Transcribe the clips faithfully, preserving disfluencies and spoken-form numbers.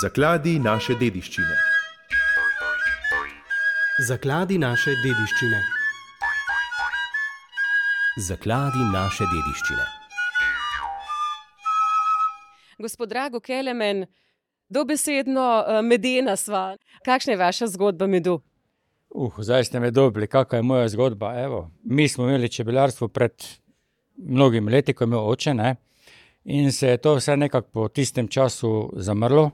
Zakladi naše dediščine. Zakladi naše dediščine. Zakladi naše dediščine. Gospod Drago Kelemen, dobesedno medena sva. Kakšna je vaša zgodba medu? Uh, zdaj ste me dobili, kakva je moja zgodba. Evo, mi smo imeli čebelarstvo pred mnogimi leti, ko je imel oče, ne? In se je to vse nekako po tistem času zamrlo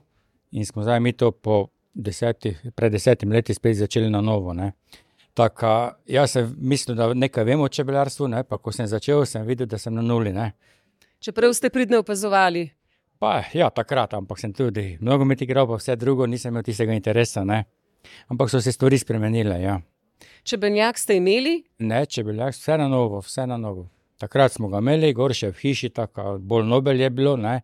in smo zdaj mi to po desetih, pred desetimi leti spet začeli na novo, ne. Taka, jaz sem mislil, da nekaj vem o čebelarstvu, ne, pa ko sem začel, sem videl, da sem na nuli, ne. Čeprav ste pridno opazovali? Pa, ja, takrat, ampak sem tudi nogomet igral, pa vse drugo, nisem imel tistega interesa, ne. Ampak so se stvari spremenile, ja. Čebeljak ste imeli? Ne, čebeljak, vse na novo, vse na novo. Takrat smo ga imeli, gor še v hiši, tako bolj nobel je bilo, ne,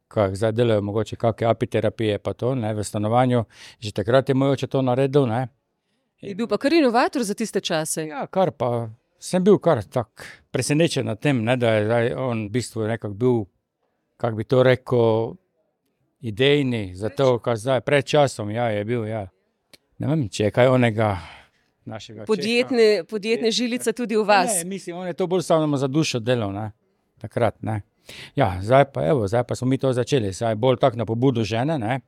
kak zdaj delajo mogoče kakve apiterapije pa to, ne, v stanovanju. Že takrat je moj oče to naredil, ne. Je bil pa kar inovator za tiste čase. Ja, kar pa, sem bil kar tak presenečen na tem, ne, da je zdaj on v bistvu nekako bil, kak bi to rekel, idejni za to, kar zdaj, pred časom, ja, je bil, ja. Ne vem, če je kaj onega našega podjetne, podjetne žilice tudi v vas. Ne, mislim, on je to bolj samo za dušo delal, ne, takrat, ne. Ja, zdaj pa, evo, zdaj pa smo mi to začeli, zdaj bolj tak na pobudu žene, ne.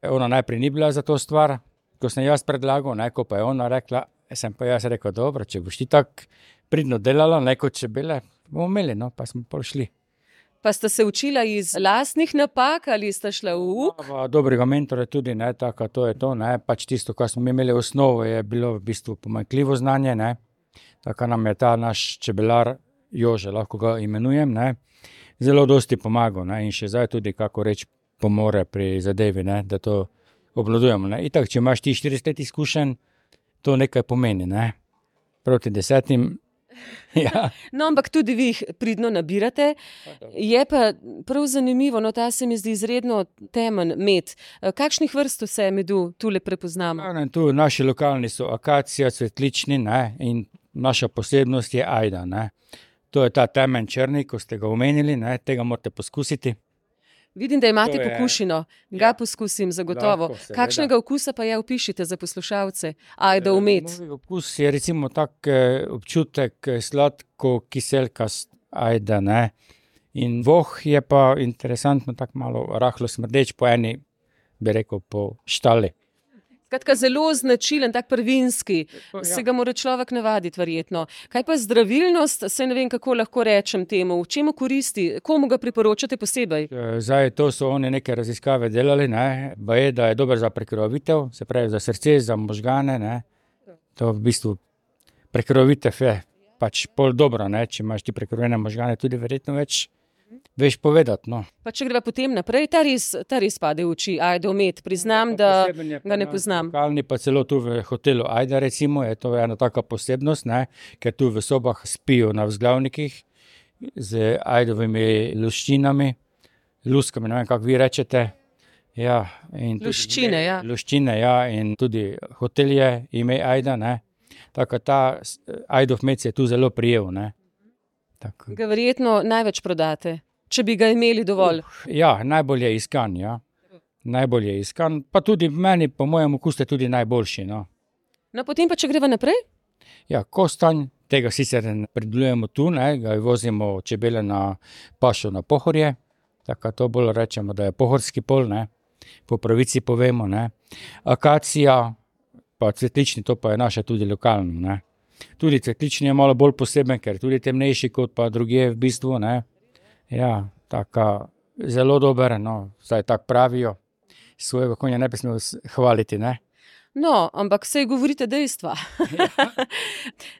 Ona najprej ni bila za to stvar, ko sem jaz predlagal, ne, ko pa je ona rekla, sem pa jaz rekel, dobro, če boš ti tak pridno delala, ne, kot čebele, bomo imeli, no, pa smo pol šli. Pa sta se učila iz lastnih napak ali sta šla v uk? Ja, dobrega mentora tudi, ne, tako, to je to, ne, pač tisto, kar smo imeli osnovo, je bilo v bistvu pomanjkljivo znanje, ne, tako nam je ta naš čebelar, Jože, lahko ga imenujem, ne, zelo dosti pomagal, ne, in še zdaj tudi, kako reči, pomore pri zadevi, ne, da to obvladujemo, ne, itak, če imaš ti štirideset let izkušenj, to nekaj pomeni, ne, proti desetim. Ja. No, ampak tudi vi jih pridno nabirate. Je pa prav zanimivo, no, ta se mi zdi izredno temen med. Kakšnih vrst vse medu tule prepoznamo? Ja, tu naši lokalni so akacija, cvetlični, ne, in naša posebnost je ajda, ne. To je ta temen črni, ko ste ga omenili, ne, tega morate poskusiti. Vidim, da imate je, pokušino. Ga ja, poskusim zagotovo. Lahko, kakšnega okusa pa je, opišite za poslušalce? Ajda v med. Moj okus je recimo tak občutek sladko kiselkast ajda, ne. In voh je pa interesantno tak malo rahlo smrdeč po eni, bi rekel, po štali. Skratka, zelo značilen, tak prvinski. Ja. Se ga mora človek navaditi verjetno. Kaj pa zdravilnost, se ne vem, kako lahko rečem temu, v čemu koristi, komu ga priporočate posebej? Zdaj, to so oni neke raziskave delali, ne, baje, da je dober za prekrvavitev, se pravi za srce, za možgane, ne. To v bistvu prekrvavitev je pač pol dobro, ne, če imaš ti prekrvene možgane, tudi verjetno več veš povedati, no. Pa če greva potem naprej, ta res, ta res pade v oči, ajda v med, priznam, da ga ne poznam. Lokalni pa celo tu v hotelu Ajda, recimo, je to ena taka posebnost, ne, ker tu v sobah spijo na vzglavnikih z ajdovimi luščinami, luskami, ne vem, kako vi rečete. Ja, in luščine, ja. Luščine, ja, in tudi hotel je ime Ajda, ne. Tako ta ajdov med se je tu zelo prijel, ne. Tako. Ga verjetno največ prodate, če bi ga imeli dovolj. Uh, ja, najbolj je iskan, ja. Najbolj je iskan, pa tudi meni, po mojem okusu, tudi najboljši, no. No, potem pa, če greva naprej? Ja, kostanj, tega sicer predelujemo tu, ne, ga vozimo čebele na pašo na Pohorje, tako to bolj rečemo, da je pohorski pol, ne, po pravici povemo, ne. Akacija, pa cvetlični, to pa je naša tudi lokalno, ne. Tudi cvetlični je malo bolj poseben, ker tudi temnejši kot pa drugje v bistvu, ne. Ja, taka zelo dober, no, zdaj tak pravijo, svojega konja ne bi smel hvaliti, ne. No, ampak saj govorite dejstva.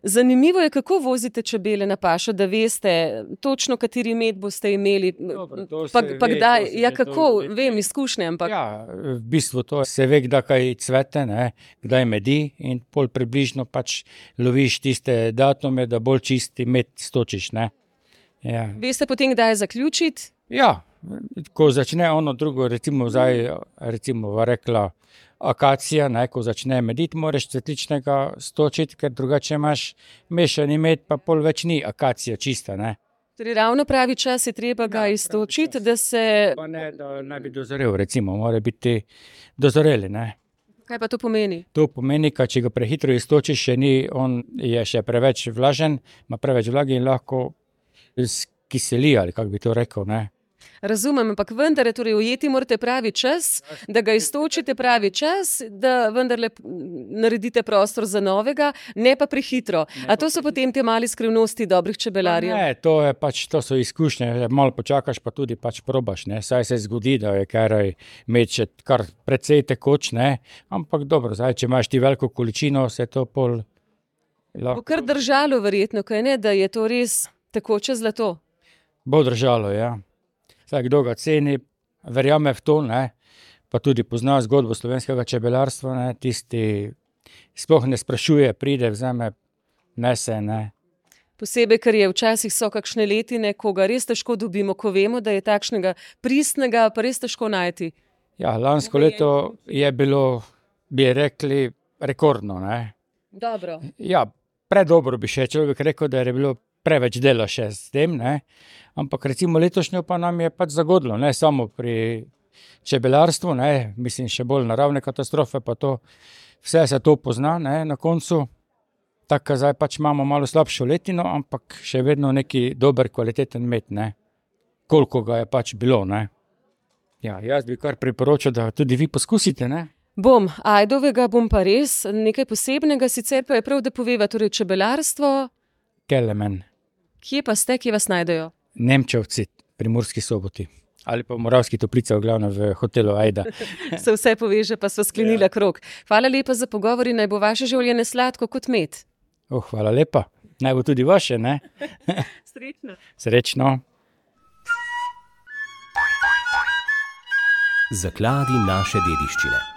Zanimivo je, kako vozite čebele na pašo, da veste točno, kateri med boste imeli. Dobro, pa, pa ve, kdaj, ja ve, kako, to, vem, izkušnje, ampak. Ja, v bistvu to se ve, kdaj kaj cvete, ne, kdaj medi in pol približno pač loviš tiste datume, da bolj čisti med stočiš, ne. Ja. Veste potem, kdaj zaključiti? Ja, ko začne ono drugo, recimo zdaj, recimo rekla, akacija, ne, ko začne mediti, moraš cvetličnega stočiti, ker drugače imaš mešani med, pa pol več ni akacija čista, ne. Torej, ravno pravi čas je treba ga Ja, iztočiti, pravi da se... Pa ne, da naj bi dozorel, recimo, mora biti dozoreli, ne. Kaj pa to pomeni? To pomeni, da če ga prehitro iztočiš, še ni, on je še preveč vlažen, ima preveč vlage in lahko skiseli, ali kako bi to rekel, ne. Razumem, ampak vendar, torej ujeti morate pravi čas, da ga iztočite pravi čas, da vendarle naredite prostor za novega, ne pa prehitro. A to so potem te mali skrivnosti dobrih čebelarjev? Ne, to je pač, to so izkušnje, malo počakaš, pa tudi pač probaš, ne. Saj se zgodi, da je karaj med še kar precej tekoč, ne, ampak dobro, zdaj, če imaš ti veliko količino, se to pol lahko... Bo kar držalo verjetno, kaj ne, da je to res tekoče zlato? Bo držalo, ja. Zdaj, kdo ga ceni, verjame v to, ne, pa tudi pozna zgodbo slovenskega čebelarstva, ne, tisti sploh ne sprašuje, pride, vzame, nese, ne. Posebej, ker je včasih so kakšne letine, ko ga res težko dobimo, ko vemo, da je takšnega pristnega pa res težko najti. Ja, lansko leto je bilo, bi rekli, rekordno, ne. Dobro. Ja, predobro bi še človek rekel, da je bilo preveč dela še s tem, ne. Ampak recimo letošnjo pa nam je pač zagodlo, ne samo pri čebelarstvu, ne, mislim še bolj naravne katastrofe, pa to, vse se to pozna, ne, na koncu. Tako zdaj pač imamo malo slabšo letino, ampak še vedno neki dober, kvaliteten med, ne. Koliko ga je pač bilo, ne. Ja, jaz bi kar priporočil, da tudi vi poskusite, ne. Bom, ajdovega bom pa res, nekaj posebnega, sicer pa je prav, da poveva, torej čebelarstvo. Kelemen. Kje pa ste, kje vas najdejo? Nemčevci, pri Murski Soboti. Ali pa v Moravski Toplici, v glavnem v hotelu Ajda. Se vse poveže, pa sva sklenila ja. Krog. Hvala lepa za pogovor in naj bo vaše življenje sladko kot med. Oh, hvala lepa. Naj bo tudi vaše, ne? Srečno. Srečno. Zakladi naše dediščine.